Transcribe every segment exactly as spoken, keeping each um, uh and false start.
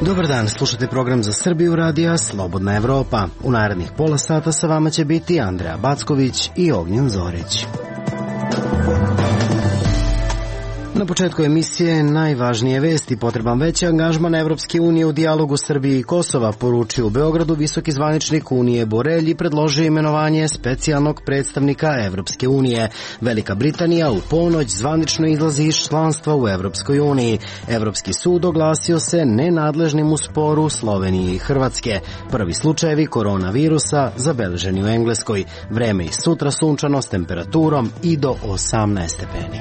Dobar dan, slušate program za Srbiju radija Slobodna Evropa. U narednih pola sata sa vama će biti Andreja Backović i Ognjen Zorić. Na početku emisije najvažnije vesti. Potreban veći angažman Evropske unije u dijalogu Srbije i Kosova, poručio u Beogradu visoki zvaničnik Unije Borelj i predložio imenovanje specijalnog predstavnika Evropske unije. Velika Britanija u ponoć zvanično izlazi iz članstva u Evropskoj uniji. Evropski sud oglasio se nenadležnim u sporu Slovenije i Hrvatske. Prvi slučajevi koronavirusa zabeleženi u Engleskoj. Vreme i sutra sunčano s temperaturom i do osamnaest stepeni.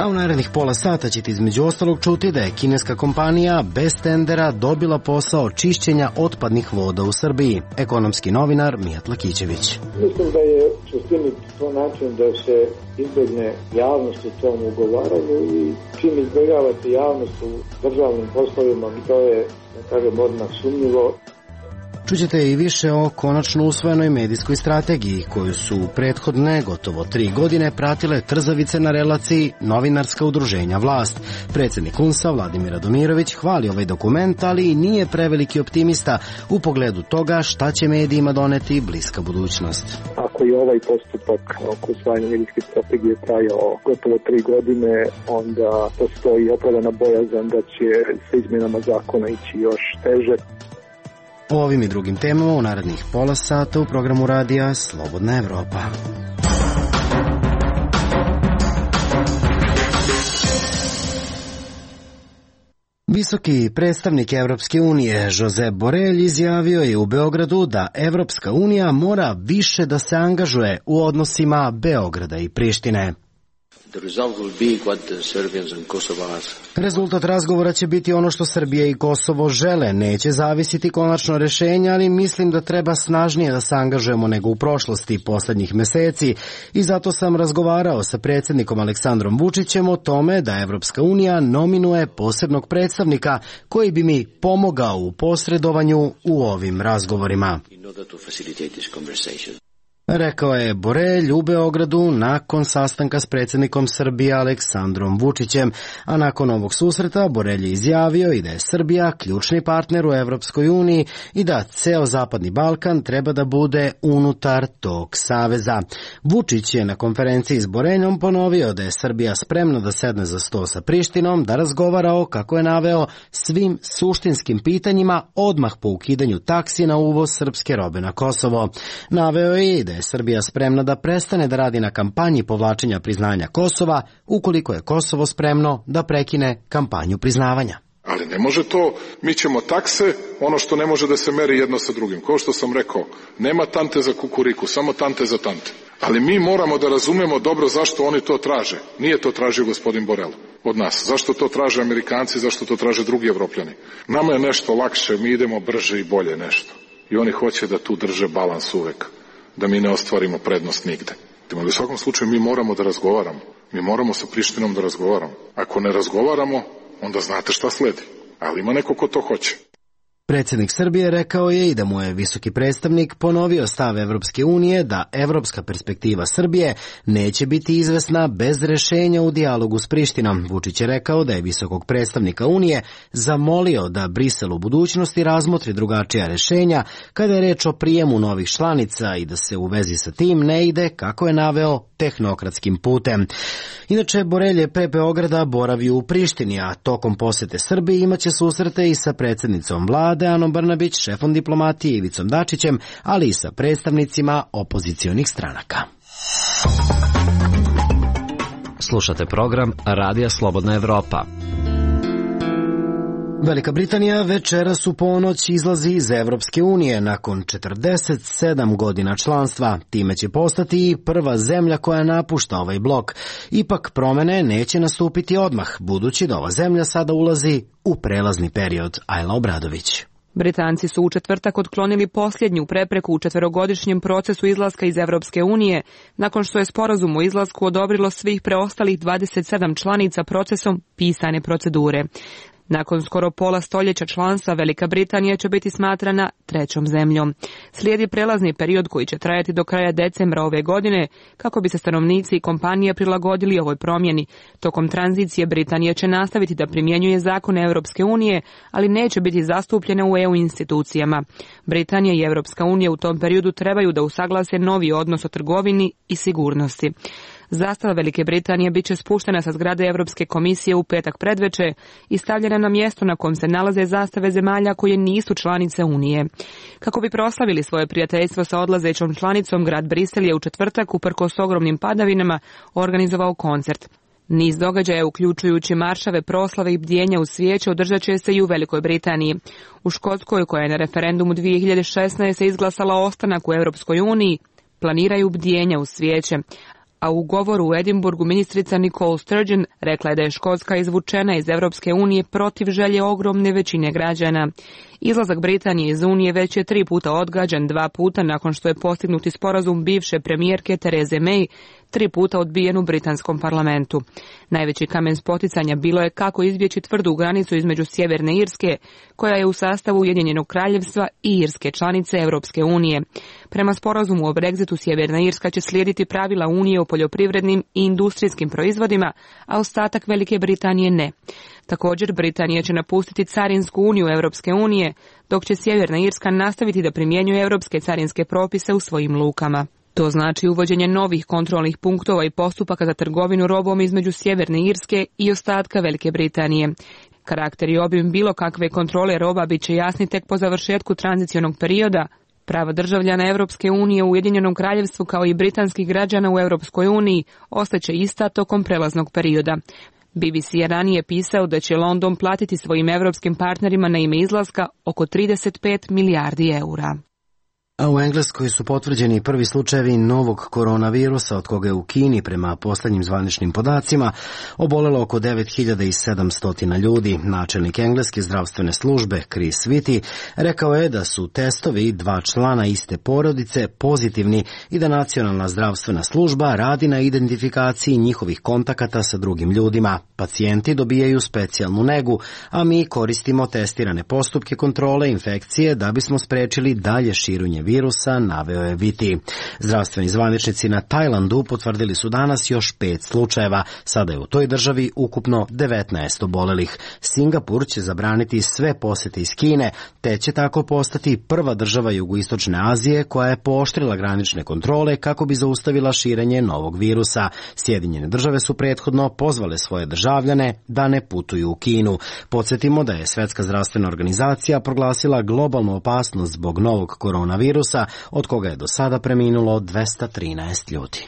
A u narednih pola sata ćete između ostalog čuti da je kineska kompanija bez tendera dobila posao čišćenja otpadnih voda u Srbiji. Ekonomski novinar Mijat Lakićević. Mislim da je suštini to način da se izbegne javnost u tom ugovaranju i čim izbjegavate javnost u državnim poslovima, to je, da kažem, odmah sumnjivo. Čućete i više o konačno usvojenoj medijskoj strategiji koju su prethodne gotovo tri godine pratile trzavice na relaciji novinarska udruženja vlast. Predsjednik U N S-a Vladimir Radomirović hvali ovaj dokument, ali i nije preveliki optimista u pogledu toga šta će medijima doneti bliska budućnost. Ako je ovaj postupak oko usvajanja medijske strategije trajao gotovo tri godine, onda postoji opravdana bojazan da će sa izmjenama zakona ići još teže. O ovim i drugim temama u narednih pola sata u programu radija Slobodna Evropa. Visoki predstavnik Evropske unije Josep Borelj izjavio je u Beogradu da Evropska unija mora više da se angažuje u odnosima Beograda i Prištine. Rezultat razgovora će biti ono što Srbija i Kosovo žele. Neće zavisiti konačno rešenje, ali mislim da treba snažnije da se angažujemo nego u prošlosti poslednjih meseci i zato sam razgovarao sa predsjednikom Aleksandrom Vučićem o tome da Evropska unija nominuje posebnog predstavnika koji bi mi pomogao u posredovanju u ovim razgovorima. Rekao je Borelj u Beogradu nakon sastanka s predsjednikom Srbije Aleksandrom Vučićem, a nakon ovog susreta Borelj je izjavio i da je Srbija ključni partner u Evropskoj uniji i da ceo Zapadni Balkan treba da bude unutar tog saveza. Vučić je na konferenciji s Boreljom ponovio da je Srbija spremna da sedne za sto sa Prištinom, da razgovara o, kako je naveo, svim suštinskim pitanjima odmah po ukidanju taksi na uvoz srpske robe na Kosovo. Naveo je i da je Srbija spremna da prestane da radi na kampanji povlačenja priznanja Kosova ukoliko je Kosovo spremno da prekine kampanju priznavanja. Ali ne može to, mi ćemo takse, ono što ne može da se meri jedno sa drugim. Kao što sam rekao, nema tante za kukuriku, samo tante za tante. Ali mi moramo da razumemo dobro zašto oni to traže. Nije to tražio gospodin Borel od nas. Zašto to traže Amerikanci, zašto to traže drugi Evropljani. Nama je nešto lakše, mi idemo brže i bolje nešto. I oni hoće da tu drže balans uvek, da mi ne ostvarimo prednost nigde. Ali u svakom slučaju mi moramo da razgovaramo. Mi moramo sa Prištinom da razgovaramo. Ako ne razgovaramo, onda znate šta sledi. Ali ima neko ko to hoće. Predsjednik Srbije rekao je i da mu je visoki predstavnik ponovio stav Evropske unije da evropska perspektiva Srbije neće biti izvesna bez rešenja u dijalogu s Prištinom. Vučić je rekao da je visokog predstavnika Unije zamolio da Brisel u budućnosti razmotri drugačija rešenja kada je reč o prijemu novih članica i da se u vezi sa tim ne ide, kako je naveo, tehnokratskim putem. Inače, Borelj je pre Beograda boravio u Prištini, a tokom posete Srbiji imaće susrete i sa predsjednicom vlade Anom Brnabić, šefom diplomatije Ivicom Dačićem, ali i sa predstavnicima opozicionih stranaka. Slušate program Radija Slobodna Evropa. Velika Britanija večeras u ponoć izlazi iz Evropske unije nakon četrdeset sedam godina članstva. Time će postati i prva zemlja koja napušta ovaj blok. Ipak promene neće nastupiti odmah, budući da ova zemlja sada ulazi u prelazni period. Ajla Obradović. Britanci su u četvrtak otklonili posljednju prepreku u četverogodišnjem procesu izlaska iz Evropske unije, nakon što je sporazum o izlasku odobrilo svih preostalih dvadeset sedam članica procesom pisane procedure. Nakon skoro pola stoljeća članstva, Velika Britanija će biti smatrana trećom zemljom. Slijedi prelazni period koji će trajati do kraja decembra ove godine, kako bi se stanovnici i kompanije prilagodili ovoj promjeni. Tokom tranzicije Britanija će nastaviti da primjenjuje zakone Europske unije, ali neće biti zastupljena u E U institucijama. Britanija i Europska unija u tom periodu trebaju da usaglase novi odnos o trgovini i sigurnosti. Zastava Velike Britanije bit će spuštena sa zgrade Europske komisije u petak predveče i stavljena na mjesto na kom se nalaze zastave zemalja koje nisu članice Unije. Kako bi proslavili svoje prijateljstvo sa odlazećom članicom, grad Brisel je u četvrtak, uprkos ogromnim padavinama, organizovao koncert. Niz događaja, uključujući maršave, proslave i bdjenja uz svijeće, održat će se i u Velikoj Britaniji. U Škotskoj, koja je na referendumu dvije hiljade šesnaeste. izglasala ostanak u Europskoj uniji, planiraju bdjenja uz svijeće. A u govoru u Edinburgu ministrica Nicole Sturgeon rekla je da je Škotska izvučena iz Europske unije protiv želje ogromne većine građana. Izlazak Britanije iz Unije već je tri puta odgađan, dva puta nakon što je postignuti sporazum bivše premijerke Therese May, tri puta odbijen u britanskom parlamentu. Najveći kamen spoticanja bilo je kako izbjeći tvrdu granicu između Sjeverne Irske, koja je u sastavu Ujedinjenog kraljevstva, i Irske, članice Europske unije. Prema sporazumu o Brexitu, Sjeverna Irska će slijediti pravila Unije o poljoprivrednim i industrijskim proizvodima, a ostatak Velike Britanije ne. Također, Britanija će napustiti Carinsku uniju Europske unije, dok će Sjeverna Irska nastaviti da primjenjuje europske carinske propise u svojim lukama. To znači uvođenje novih kontrolnih punktova i postupaka za trgovinu robom između Sjeverne Irske i ostatka Velike Britanije. Karakter i obim bilo kakve kontrole roba bit će jasni tek po završetku tranzicionog perioda. Prava državljana Europske unije u Ujedinjenom kraljevstvu kao i britanskih građana u Europskoj uniji ostaće ista tokom prelaznog perioda. B B C je ranije pisao da će London platiti svojim europskim partnerima na ime izlaska oko trideset pet milijardi eura. A u Engleskoj su potvrđeni prvi slučajevi novog koronavirusa, od koga je u Kini, prema posljednjim zvaničnim podacima, obolelo oko devet hiljada sedamsto ljudi. Načelnik engleske zdravstvene službe Chris Whitty rekao je da su testovi dva člana iste porodice pozitivni i da nacionalna zdravstvena služba radi na identifikaciji njihovih kontakata sa drugim ljudima. Pacijenti dobijaju specijalnu negu, a mi koristimo testirane postupke kontrole infekcije da bismo sprečili dalje širenje virusa, naveo je Whitty. Zdravstveni zvaničnici na Tajlandu potvrdili su danas još pet slučajeva. Sada je u toj državi ukupno devetnaest obolelih. Singapur će zabraniti sve posjete iz Kine, te će tako postati prva država jugoistočne Azije koja je pooštrila granične kontrole kako bi zaustavila širenje novog virusa. Sjedinjene države su prethodno pozvale svoje državljane da ne putuju u Kinu. Podsjetimo da je Svjetska zdravstvena organizacija proglasila globalnu opasnost zbog novog koronavirusa, od koga je do sada preminulo dvesta trinaest ljudi.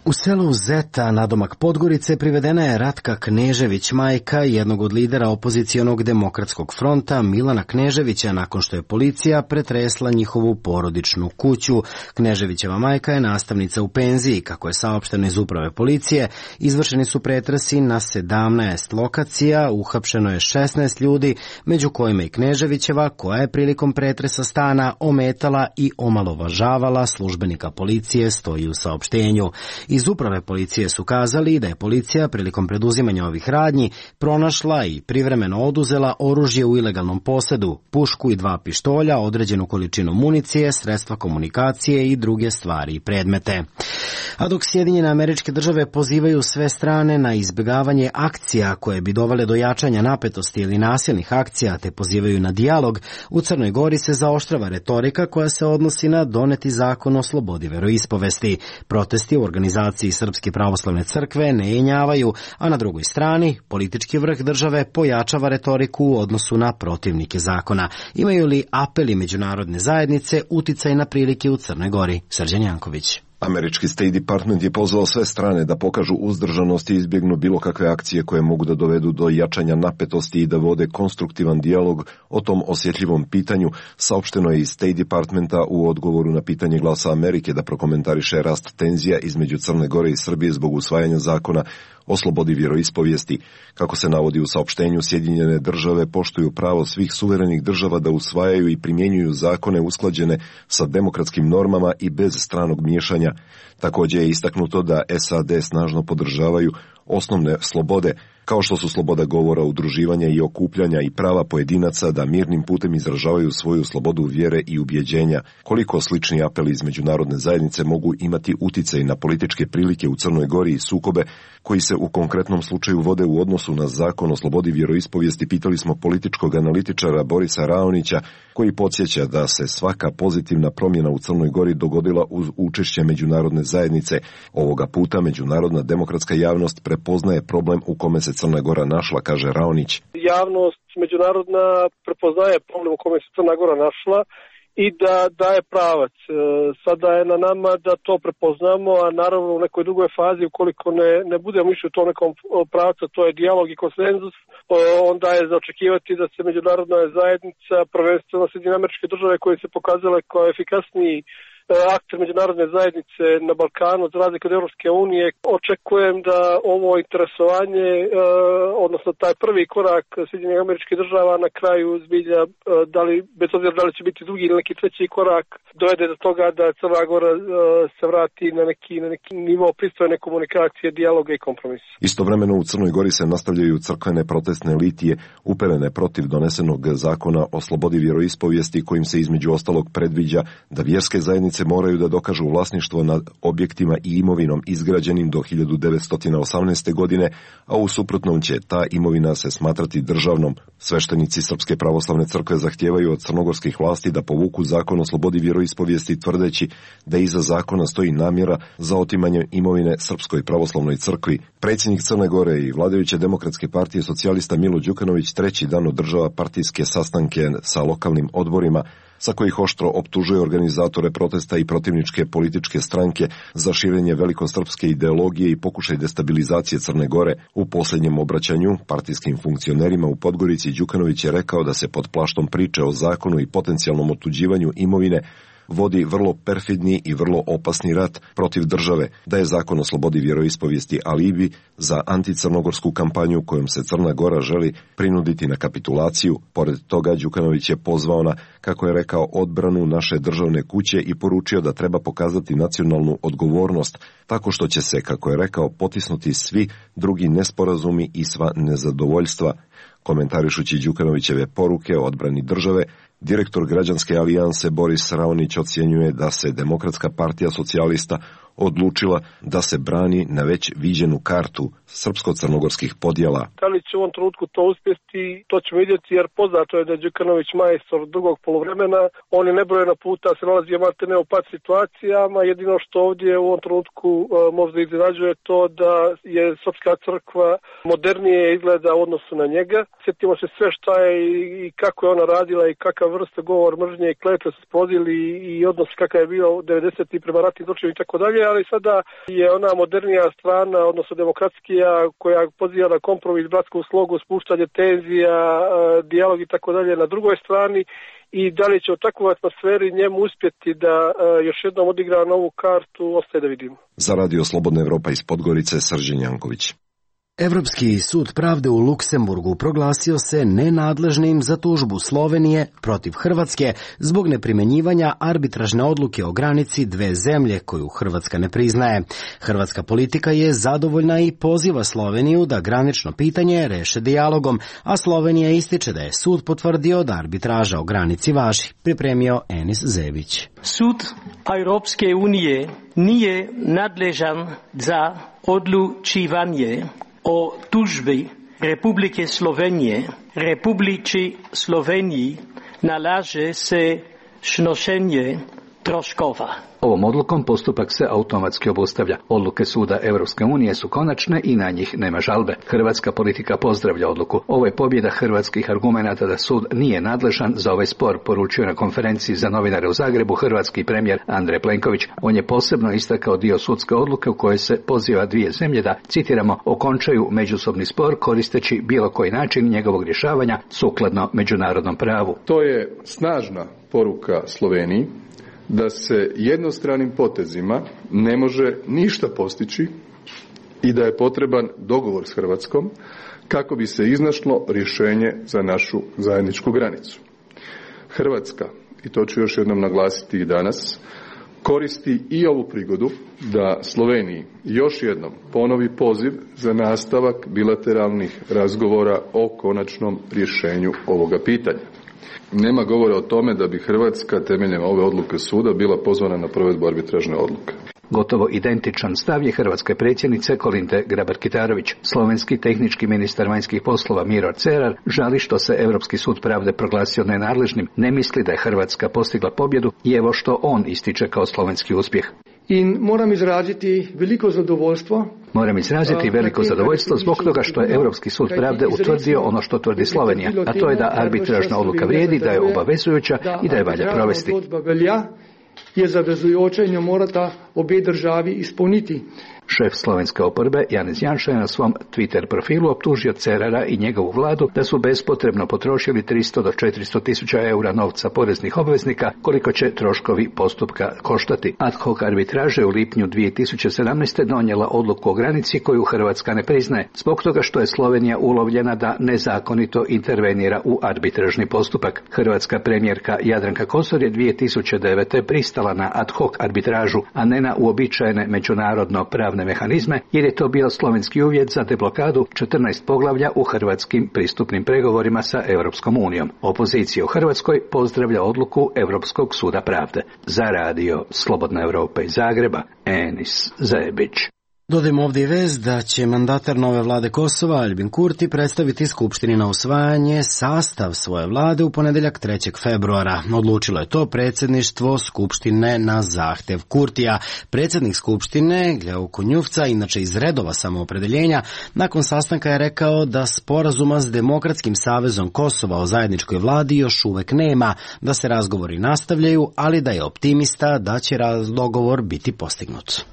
U selu Zeta, nadomak Podgorice, privedena je Ratka Knežević, majka jednog od lidera opozicionog demokratskog fronta Milana Kneževića, nakon što je policija pretresla njihovu porodičnu kuću. Kneževićeva majka je nastavnica u penziji. Kako je saopšteno iz uprave policije, izvršeni su pretresi na sedamnaest lokacija, uhapšeno je šesnaest ljudi, među kojima i Kneževićeva, koja je prilikom pretresa stana ometala i omalovažavala službenika policije, stoji u saopštenju. Iz uprave policije su kazali da je policija prilikom preduzimanja ovih radnji pronašla i privremeno oduzela oružje u ilegalnom posedu, pušku i dva pištolja, određenu količinu municije, sredstva komunikacije i druge stvari i predmete. A dok Sjedinjene Američke Države pozivaju sve strane na izbjegavanje akcija koje bi dovele do jačanja napetosti ili nasilnih akcija, te pozivaju na dijalog, u Crnoj Gori se zaoštrava retorika koja se odnosi na doneti zakon o slobodi veroispovesti. Protesti u organizaciji Srpske pravoslavne crkve ne jenjavaju, a na drugoj strani politički vrh države pojačava retoriku u odnosu na protivnike zakona. Imaju li apeli međunarodne zajednice uticaj na prilike u Crnoj Gori? Srđan Janković. Američki State Department je pozvao sve strane da pokažu uzdržanost i izbjegnu bilo kakve akcije koje mogu da dovedu do jačanja napetosti i da vode konstruktivan dijalog o tom osjetljivom pitanju, saopšteno je iz State Departmenta u odgovoru na pitanje Glasa Amerike da prokomentariše rast tenzija između Crne Gore i Srbije zbog usvajanja zakona o slobodi vjeroispovijesti. Kako se navodi u saopštenju, Sjedinjene države poštuju pravo svih suverenih država da usvajaju i primjenjuju zakone usklađene sa demokratskim normama i bez stranog miješanja. Također je istaknuto da S A D snažno podržavaju osnovne slobode, kao što su sloboda govora, udruživanja i okupljanja i prava pojedinaca da mirnim putem izražavaju svoju slobodu vjere i ubjeđenja. Koliko slični apeli iz međunarodne zajednice mogu imati uticaj na političke prilike u Crnoj Gori i sukobe koji se u konkretnom slučaju vode u odnosu na zakon o slobodi vjeroispovijesti, pitali smo političkog analitičara Borisa Raonića, koji podsjeća da se svaka pozitivna promjena u Crnoj Gori dogodila uz učešće međunarodne zajednice. Ovoga puta međunarodna demokratska javnost prepoznaje problem u kome se Crna Gora našla, kaže Raonić. Javnost međunarodna prepoznaje problem u kome se Crna Gora našla i da daje pravac. Sada je na nama da to prepoznamo, a naravno u nekoj drugoj fazi, ukoliko ne, ne budemo išli u tom nekom pravcu, to je dijalog i konsenzus, onda je za očekivati da se međunarodna zajednica, prvenstveno Sjedinjene Američke Države koje se pokazale kao efikasniji akter međunarodne zajednice na Balkanu, za razliku od Europske unije, očekujem da ovo interesovanje, odnosno taj prvi korak Sjedinjenih Američkih Država na kraju zbilja, da li, bez obzira da li će biti drugi ili neki treći korak, dovede do toga da Crna Gora se vrati na neki, na neki nivo pristojne komunikacije, dijaloga i kompromisa. Istovremeno u Crnoj Gori se nastavljaju crkvene protestne litije uperene protiv donesenog zakona o slobodi vjeroispovijesti, kojim se između ostalog predviđa da vjerske zajednice moraju da dokažu vlasništvo nad objektima i imovinom izgrađenim do hiljadu devetsto osamnaeste. godine, a u suprotnom će ta imovina se smatrati državnom. Sveštenici Srpske pravoslavne crkve zahtijevaju od crnogorskih vlasti da povuku zakon o slobodi vjeroispovijesti, tvrdeći da iza zakona stoji namjera za otimanje imovine Srpskoj pravoslavnoj crkvi. Predsjednik Crne Gore i vladajuće Demokratske partije socijalista Milo Đukanović treći dan održava partijske sastanke sa lokalnim odborima, sa kojih oštro optužuje organizatore protesta i protivničke političke stranke za širenje velikosrpske ideologije i pokušaj destabilizacije Crne Gore. U posljednjem obraćanju partijskim funkcionerima u Podgorici Đukanović je rekao da se pod plaštom priče o zakonu i potencijalnom otuđivanju imovine vodi vrlo perfidni i vrlo opasni rat protiv države, da je zakon o slobodi vjeroispovijesti alibi za anticrnogorsku kampanju kojom se Crna Gora želi prinuditi na kapitulaciju. Pored toga Đukanović je pozvao na, kako je rekao, odbranu naše državne kuće i poručio da treba pokazati nacionalnu odgovornost, tako što će se, kako je rekao, potisnuti svi drugi nesporazumi i sva nezadovoljstva. Komentarišući Đukanovićeve poruke o odbrani države, direktor Građanske alijanse Boris Raonić ocjenjuje da se Demokratska partija socijalista odlučila da se brani na već viđenu kartu srpsko-crnogorskih podjela. Da li će u ovom trenutku to uspjeti, to ćemo vidjeti, jer poznato je da je Đukanović majstor drugog poluvremena. On je nebrojeno puta se nalazio maltene u pad situacijama. Jedino što ovdje u ovom trenutku uh, možda iznenađuje to da je Srpska crkva modernije izgleda u odnosu na njega. Sjetimo se sve šta je i kako je ona radila i kakav vrsta govor mržnje i kletve su sprozili i odnos kakav je bio devedesetih prema ratnim zločinima i tako dalje, ali sada je ona modernija strana, odnosno demokratskija, koja poziva na kompromis, bratsku slogu, spuštanje tenzija, dijalog i tako dalje na drugoj strani, i da li će u takvoj atmosferi njemu uspjeti da još jednom odigra novu kartu, ostaje da vidimo. Za Radio Slobodna Evropa iz Podgorice, Srđan Janković. Evropski sud pravde u Luksemburgu proglasio se nenadležnim za tužbu Slovenije protiv Hrvatske zbog neprimjenjivanja arbitražne odluke o granici dve zemlje koju Hrvatska ne priznaje. Hrvatska politika je zadovoljna i poziva Sloveniju da granično pitanje reše dijalogom, a Slovenija ističe da je sud potvrdio da arbitraža o granici važi. Pripremio Enis Zević. Sud Evropske unije nije nadležan za odlučivanje o tužbi Republike Slovenije. Republici Sloveniji nalaže se snošenje troškova. Ovom odlukom postupak se automatski obustavlja. Odluke suda Europske unije su konačne i na njih nema žalbe. Hrvatska politika pozdravlja odluku. Ovo je pobjeda hrvatskih argumenata da sud nije nadležan za ovaj spor, poručio na konferenciji za novinare u Zagrebu hrvatski premijer Andrej Plenković. On je posebno istakao dio sudske odluke u kojoj se poziva dvije zemlje da, citiramo, okončaju međusobni spor koristeći bilo koji način njegovog rješavanja sukladno međunarodnom pravu. To je snažna poruka Sloveniji da se jednostranim potezima ne može ništa postići i da je potreban dogovor s Hrvatskom kako bi se iznašlo rješenje za našu zajedničku granicu. Hrvatska, i to ću još jednom naglasiti i danas, koristi i ovu prigodu da Sloveniji još jednom ponovi poziv za nastavak bilateralnih razgovora o konačnom rješenju ovoga pitanja. Nema govora o tome da bi Hrvatska temeljem ove odluke suda bila pozvana na provedbu arbitražne odluke. Gotovo identičan stav je hrvatske predsjednice Kolinde Grabar-Kitarović. Slovenski tehnički ministar vanjskih poslova Miro Cerar žali što se Europski sud pravde proglasio nenadležnim, ne misli da je Hrvatska postigla pobjedu i evo što on ističe kao slovenski uspjeh. In moram izraziti veliko zadovoljstvo. Moram izraziti veliko zadovoljstvo zbog toga što je Europski sud pravde utvrdio ono što tvrdi Slovenija, a to je da arbitražna odluka vrijedi, da je obavezujuća i da je valja provesti. Je zavezujoča in jo morata obe državi izpolniti. Šef slovenske oporbe Janez Janša je na svom Twitter profilu optužio Cerara i njegovu vladu da su bespotrebno potrošili tristo do četiristo tisuća eura novca poreznih obveznika, koliko će troškovi postupka koštati. Ad hoc arbitraža u lipnju dvije tisuće sedamnaeste. donijela odluku o granici koju Hrvatska ne priznaje, zbog toga što je Slovenija ulovljena da nezakonito intervenira u arbitražni postupak. Hrvatska premijerka Jadranka Kosor je dvije tisuće devete. pristala na ad hoc arbitražu, a ne na uobičajene međunarodno pravne mehanizme, jer je to bio slovenski uvjet za deblokadu četrnaest poglavlja u hrvatskim pristupnim pregovorima sa Europskom unijom. Opozicija u Hrvatskoj pozdravlja odluku Europskog suda pravde. Za radio Slobodna Europa iz Zagreba, Enis Zebić. Dodajmo ovdje i vez da će mandatar nove vlade Kosova, Albin Kurti, predstaviti Skupštini na usvajanje sastav svoje vlade u ponedjeljak trećeg februara. Odlučilo je to predsjedništvo Skupštine na zahtjev Kurtija. Predsjednik Skupštine, Gljao Kunjuvca, inače iz redova samoopredeljenja, nakon sastanka je rekao da sporazuma s Demokratskim savezom Kosova o zajedničkoj vladi još uvek nema, da se razgovori nastavljaju, ali da je optimista da će dogovor biti postignut.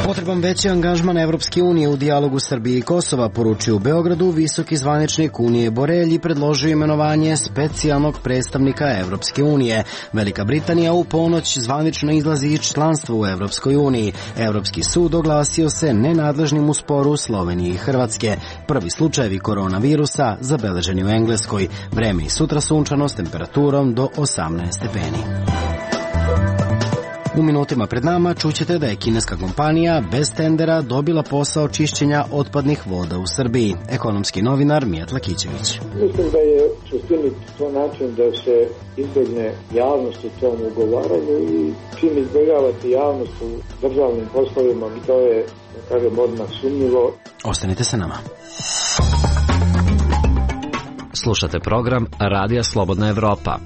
Potreban veći angažman Evropske unije u dijalogu Srbije i Kosova, poručio u Beogradu visoki zvaničnik Unije Borelj i predložio imenovanje specijalnog predstavnika Evropske unije. Velika Britanija u ponoć zvanično izlazi iz članstva u Evropskoj uniji. Evropski sud oglasio se nenadležnim u sporu Slovenije i Hrvatske. Prvi slučajevi koronavirusa zabeleženi u Engleskoj. Vreme i sutra sunčano s temperaturom do osamnaest stepeni. U minutima pred nama čućete da je kineska kompanija bez tendera dobila posao čišćenja otpadnih voda u Srbiji. Ekonomski novinar Mijat Lakićević. Mislim da je suštini to način da se izbjegne javnost u tom ugovaranju i čim izbjegavate javnost u državnim poslovima, to je, da kažem, odmah sumnjivo. Ostanite sa nama. Slušate program Radija Slobodna Evropa.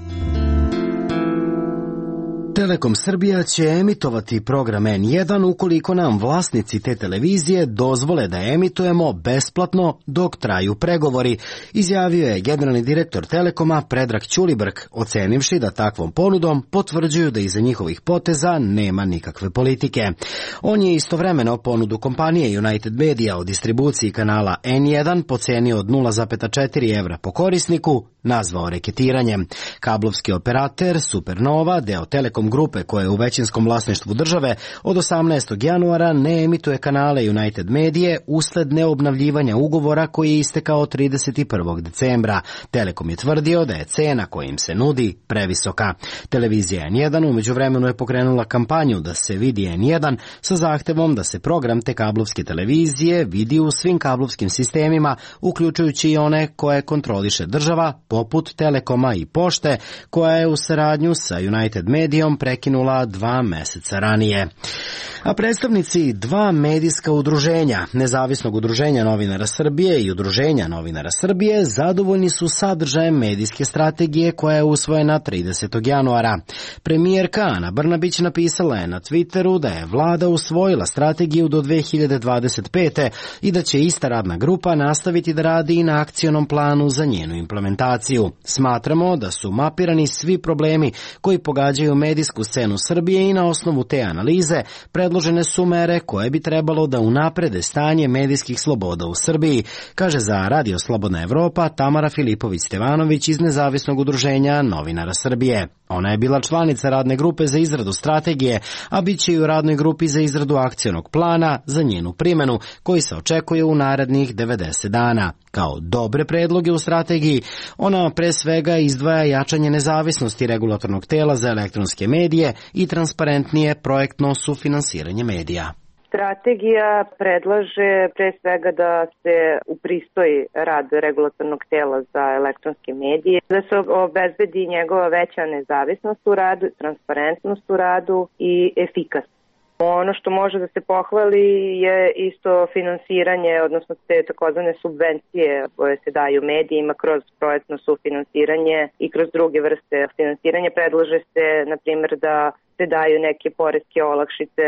Telekom Srbija će emitovati program en jedan ukoliko nam vlasnici te televizije dozvole da emitujemo besplatno dok traju pregovori, izjavio je generalni direktor Telekoma Predrag Ćulibrk, ocenivši da takvom ponudom potvrđuju da iza njihovih poteza nema nikakve politike. On je istovremeno ponudu kompanije United Media o distribuciji kanala en jedan pocenio od nula zarez četiri evra po korisniku, nazvao reketiranjem. Kablovski operater Supernova, deo Telekom grupe koja je u većinskom vlasništvu države, od osamnaestog januara ne emituje kanale United Medije usled neobnavljivanja ugovora koji je istekao trideset prvog decembra. Telekom je tvrdio da je cena koja im se nudi previsoka. Televizija en jedan u međuvremenu je pokrenula kampanju da se vidi en jedan sa zahtevom da se program te kablovske televizije vidi u svim kablovskim sistemima, uključujući i one koje kontroliše država, poput Telekoma i Pošte, koja je u saradnju sa United Medijom prekinula dva meseca ranije. A predstavnici dva medijska udruženja, Nezavisnog udruženja novinara Srbije i Udruženja novinara Srbije, zadovoljni su sadržajem medijske strategije koja je usvojena tridesetog januara. Premijerka Ana Brnabić napisala je na Twitteru da je vlada usvojila strategiju do dve hiljade dvadeset pete. i da će ista radna grupa nastaviti da radi i na akcionom planu za njenu implementaciju. Smatramo da su mapirani svi problemi koji pogađaju medijsku scenu Srbije i na osnovu te analize predložene su mere koje bi trebalo da unaprede stanje medijskih sloboda u Srbiji, kaže za Radio Slobodna Evropa Tamara Filipović-Stevanović iz Nezavisnog udruženja novinara Srbije. Ona je bila članica radne grupe za izradu strategije, a bit će i u radnoj grupi za izradu akcionog plana za njenu primjenu, koji se očekuje u narednih devedeset dana. Kao dobre predloge u strategiji, ona pre svega izdvaja jačanje nezavisnosti regulatornog tela za elektronske medije i transparentnije projektno sufinansiranje medija. Strategija predlaže pre svega da se upristoji rad regulatornog tela za elektronske medije, da se obezbedi njegova veća nezavisnost u radu, transparentnost u radu i efikasnost. Ono što može da se pohvali je isto finansiranje, odnosno te takozvane subvencije koje se daju medijima kroz projektno sufinansiranje i kroz druge vrste finansiranja. Predlaže se, na primjer, da se daju neke poreske olakšice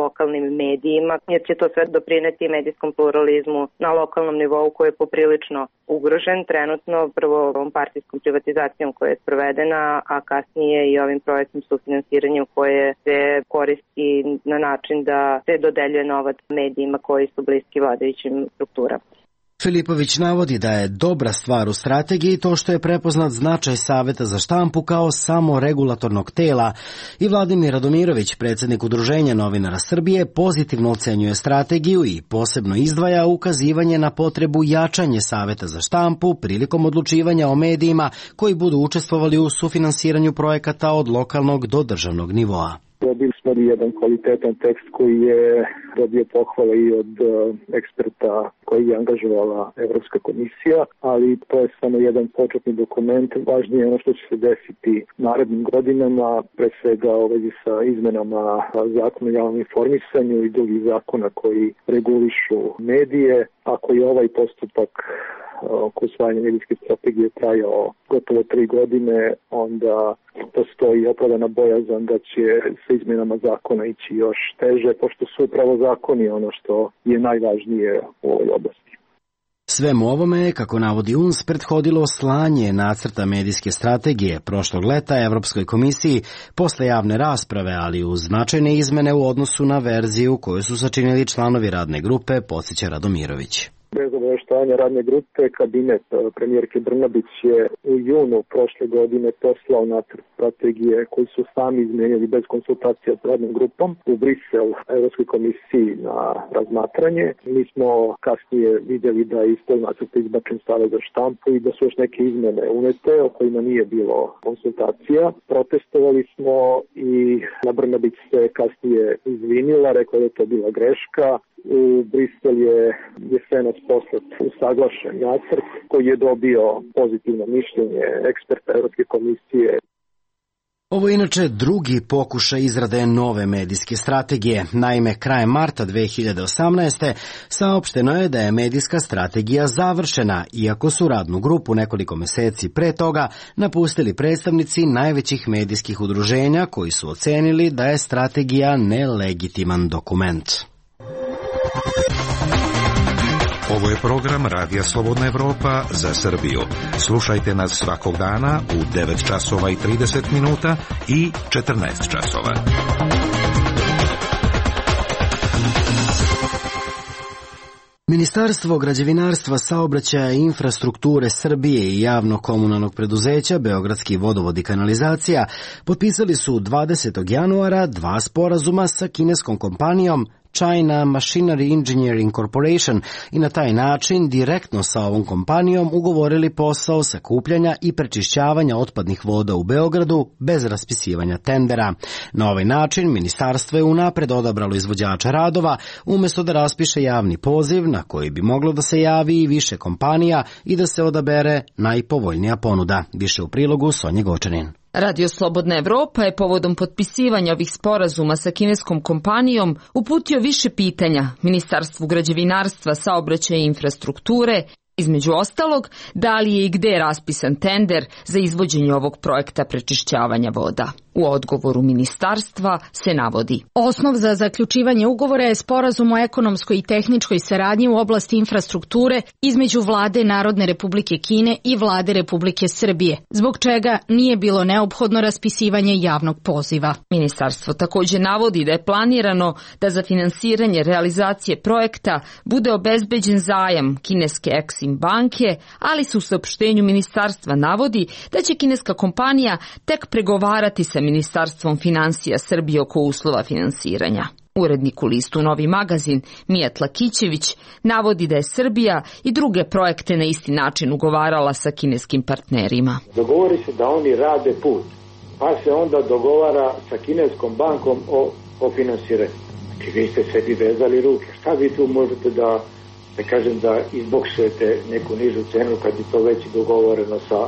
lokalnim medijima, jer će to sve doprineti medijskom pluralizmu na lokalnom nivou koji je poprilično ugrožen trenutno, prvo ovom partijskom privatizacijom koja je sprovedena, a kasnije i ovim projektnim sufinansiranjem koje se koristi na način da se dodeljuje novac medijima koji su bliski vladajućim strukturama. Filipović navodi da je dobra stvar u strategiji to što je prepoznat značaj Saveta za štampu kao samo regulatornog tela i Vladimir Radomirović, predsjednik Udruženja novinara Srbije, pozitivno ocenjuje strategiju i posebno izdvaja ukazivanje na potrebu jačanje Saveta za štampu prilikom odlučivanja o medijima koji budu učestvovali u sufinansiranju projekata od lokalnog do državnog nivoa. Dobili smo jedan kvalitetan tekst koji je dobio pohvale i od eksperta koji je angažovala Evropska komisija, ali to je samo jedan početni dokument. Važnije je ono što će se desiti narednim godinama, pre svega u vezi sa izmenama zakona o javnom informisanju i drugih zakona koji regulišu medije. Ako je ovaj postupak oko usvajanja medijske strategije trajao gotovo tri godine, onda postoji opravdana bojazan da će sa izmenama zakona ići još teže, pošto su upravo zakoni ono što je najvažnije u ovoj oblasti. Svemu ovome je, kako navodi U N S, prethodilo slanje nacrta medijske strategije prošlog leta Evropskoj komisiji posle javne rasprave, ali uz značajne izmene u odnosu na verziju koju su sačinili članovi radne grupe, podsjeća Radomirović. Bez obaveštavanja radne grupe, kabinet premijerke Brnabić je u junu prošle godine poslao nacrt strategije koji su sami izmenili bez konsultacija s radnom grupom u Brisel Evropskoj komisiji na razmatranje. Mi smo kasnije vidjeli da je iz tog nacrta izbačen Savet za štampu i da su još neke izmene unete o kojima nije bilo konsultacija. Protestovali smo i Brnabić se kasnije izvinila, rekla da je to bila greška. U Brisel je jesenas poslat usaglašen nacrt koji je dobio pozitivno mišljenje eksperta Evropske komisije. Ovo je inače drugi pokušaj izrade nove medijske strategije. Naime, krajem marta dve hiljade osamnaeste. saopšteno je da je medijska strategija završena, iako su radnu grupu nekoliko meseci pre toga napustili predstavnici najvećih medijskih udruženja koji su ocenili da je strategija nelegitiman dokument. Ovo je program Radija Slobodna Evropa za Srbiju. Slušajte nas svakog dana u devet časova i trideset minuta i četrnaest časova. Ministarstvo građevinarstva, saobraćaja i infrastrukture Srbije i javno-komunalnog preduzeća Beogradski vodovod i kanalizacija potpisali su dvadesetog januara dva sporazuma sa kineskom kompanijom China Machinery Engineering Corporation i na taj način direktno sa ovom kompanijom ugovorili posao sakupljanja i prečišćavanja otpadnih voda u Beogradu bez raspisivanja tendera. Na ovaj način ministarstvo je unapred odabralo izvođača radova umjesto da raspiše javni poziv na koji bi moglo da se javi i više kompanija i da se odabere najpovoljnija ponuda. Više u prilogu Sonje Gočanin. Radio Slobodna Evropa je povodom potpisivanja ovih sporazuma sa kineskom kompanijom uputio više pitanja Ministarstvu građevinarstva, saobraćaja i infrastrukture, između ostalog, da li je i gde raspisan tender za izvođenje ovog projekta prečišćavanja voda. U odgovoru ministarstva se navodi: Osnov za zaključivanje ugovora je sporazum o ekonomskoj i tehničkoj saradnji u oblasti infrastrukture između Vlade Narodne Republike Kine i Vlade Republike Srbije, zbog čega nije bilo neophodno raspisivanje javnog poziva. Ministarstvo također navodi da je planirano da za finansiranje realizacije projekta bude obezbeđen zajam kineske Exim banke, ali se u saopštenju ministarstva navodi da će kineska kompanija tek pregovarati sa Ministarstvom finansija Srbije oko uslova finansiranja. Urednik u listu Novi magazin Mijat Lakićević navodi da je Srbija i druge projekte na isti način ugovarala sa kineskim partnerima. Dogovori se da oni rade put, pa se onda dogovara sa kineskom bankom o, o finansiranju. Znači vi ste sebi vezali ruke. Šta vi tu možete da, da kažem, da izboksujete neku nižu cenu kad je to već dogovoreno sa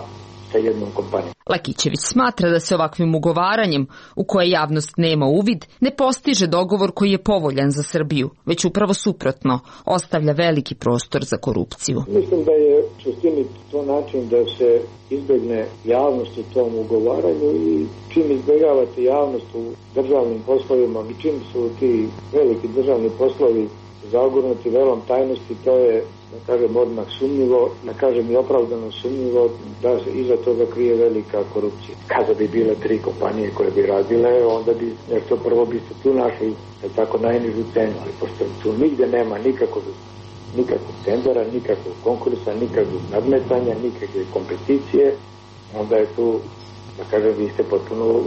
sa jednom kompanijom. Lakićević smatra da se ovakvim ugovaranjem, u koje javnost nema uvid, ne postiže dogovor koji je povoljan za Srbiju, već upravo suprotno, ostavlja veliki prostor za korupciju. Mislim da je u suštini to način da se izbegne javnost u tom ugovaranju i čim izbjegavate javnost u državnim poslovima i čim su ti veliki državni poslovi zagurnuti velom tajnosti, to je, da kažem, odmah sumnjivo, da kažem i opravdano sumnjivo da se iza toga krije velika korupcija. Kada bi bile tri kompanije koje bi radile, onda bi nešto prvo biste tu našli tako najnižu cenu, ali pošto tu nigde nema nikakvog, nikakvog tendera, nikakvog konkursa, nikakvog nadmetanja, nikakve kompeticije, onda je tu, da kažem, vi ste potpuno u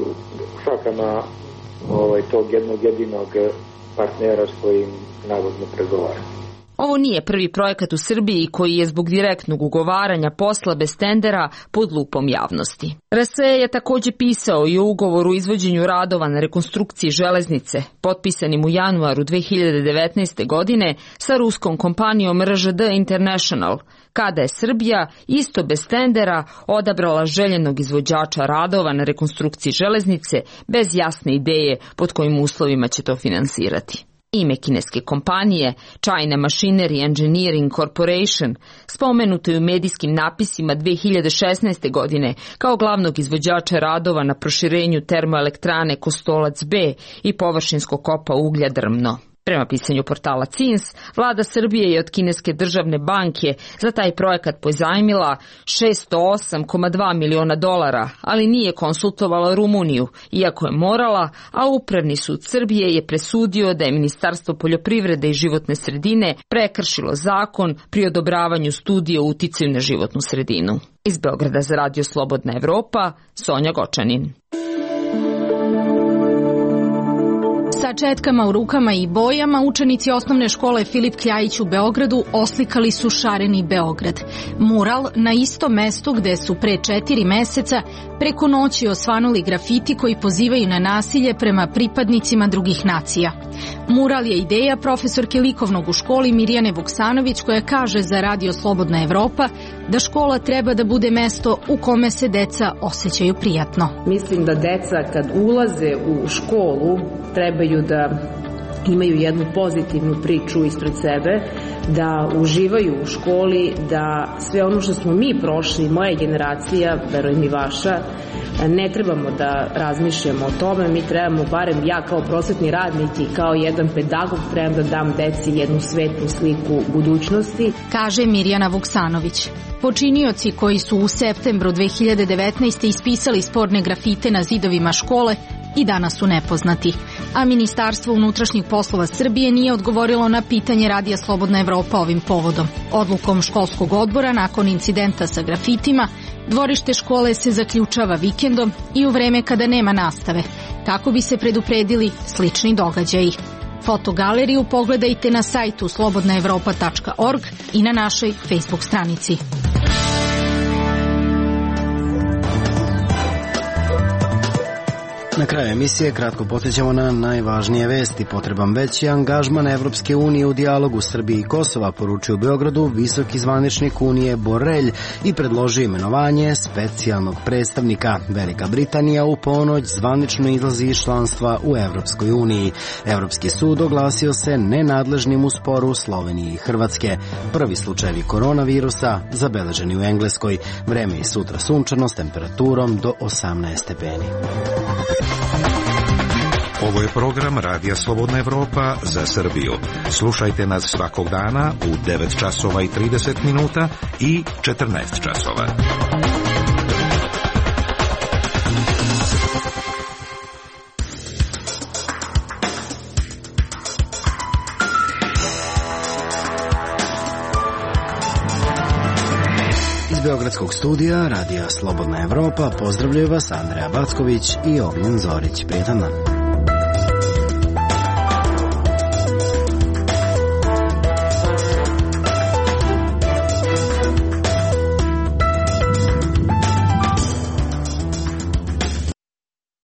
šakama ovaj, tog jednog jedinog partnera s kojim navodno pregovara. Ovo nije prvi projekat u Srbiji koji je zbog direktnog ugovaranja posla bez tendera pod lupom javnosti. R S E je također pisao i o ugovoru o izvođenju radova na rekonstrukciji železnice, potpisanim u januaru dve hiljade devetnaeste. godine sa ruskom kompanijom R Ž D International, kada je Srbija isto bez tendera odabrala željenog izvođača radova na rekonstrukciji železnice bez jasne ideje pod kojim uslovima će to finansirati. Ime kineske kompanije, China Machinery Engineering Corporation, spomenuto je u medijskim napisima dve hiljade šesnaeste. godine kao glavnog izvođača radova na proširenju termoelektrane Kostolac B i površinskog kopa uglja Drmno. Prema pisanju portala C I N S, vlada Srbije je od kineske državne banke za taj projekat pozajmila šesto osam zarez dva miliona dolara, ali nije konsultovala Rumuniju, iako je morala, a Upravni sud Srbije je presudio da je Ministarstvo poljoprivrede i životne sredine prekršilo zakon pri odobravanju studije o uticaju na životnu sredinu. Iz Beograda za Radio Slobodna Evropa, Sonja Gočanin. Sa četkama u rukama i bojama učenici osnovne škole Filip Kljajić u Beogradu oslikali su šareni Beograd. Mural na istom mestu gde su pre četiri meseca preko noći osvanuli grafiti koji pozivaju na nasilje prema pripadnicima drugih nacija. Mural je ideja profesorke likovnog u školi Mirjane Vuksanović, koja kaže za Radio Slobodna Evropa da škola treba da bude mesto u kome se deca osjećaju prijatno. Mislim da deca kad ulaze u školu trebaju da imaju jednu pozitivnu priču ispred sebe, da uživaju u školi, da sve ono što smo mi prošli, moja generacija, verujem i vaša, ne trebamo da razmišljamo o tome, mi trebamo, barem ja kao prosvetni radnik i kao jedan pedagog, trebam da dam deci jednu svetlu sliku budućnosti, kaže Mirjana Vuksanović. Počinioci koji su u septembru dve hiljade devetnaeste. ispisali sporne grafite na zidovima škole i danas su nepoznati, a Ministarstvo unutrašnjih poslova Srbije nije odgovorilo na pitanje Radija Slobodna Evropa ovim povodom. Odlukom školskog odbora nakon incidenta sa grafitima, dvorište škole se zaključava vikendom i u vreme kada nema nastave, kako bi se predupredili slični događaji. Fotogaleriju pogledajte na sajtu slobodna evropa tačka org i na našoj Facebook stranici. Na kraju emisije kratko podsjećamo na najvažnije vesti. Potreban veći angažman Evropske unije u dijalogu Srbije i Kosova, poručio u Beogradu visoki zvaničnik Unije Borelj i predložio imenovanje specijalnog predstavnika. Velika Britanija u ponoć zvanično izlazi iz članstva u Evropskoj uniji. Evropski sud oglasio se nenadležnim u sporu Slovenije i Hrvatske. Prvi slučajevi koronavirusa zabeleženi u Engleskoj. Vreme je sutra sunčano s temperaturom do osamnaest stepeni. Ovo je program Radija Slobodna Evropa za Srbiju. Slušajte nas svakog dana u devet časova i trideset minuta i četrnaest časova. Iz Beogradskog studija Radija Slobodna Evropa pozdravljaju vas Andreja Backović i Ognjen Zorić. Prijetan dan.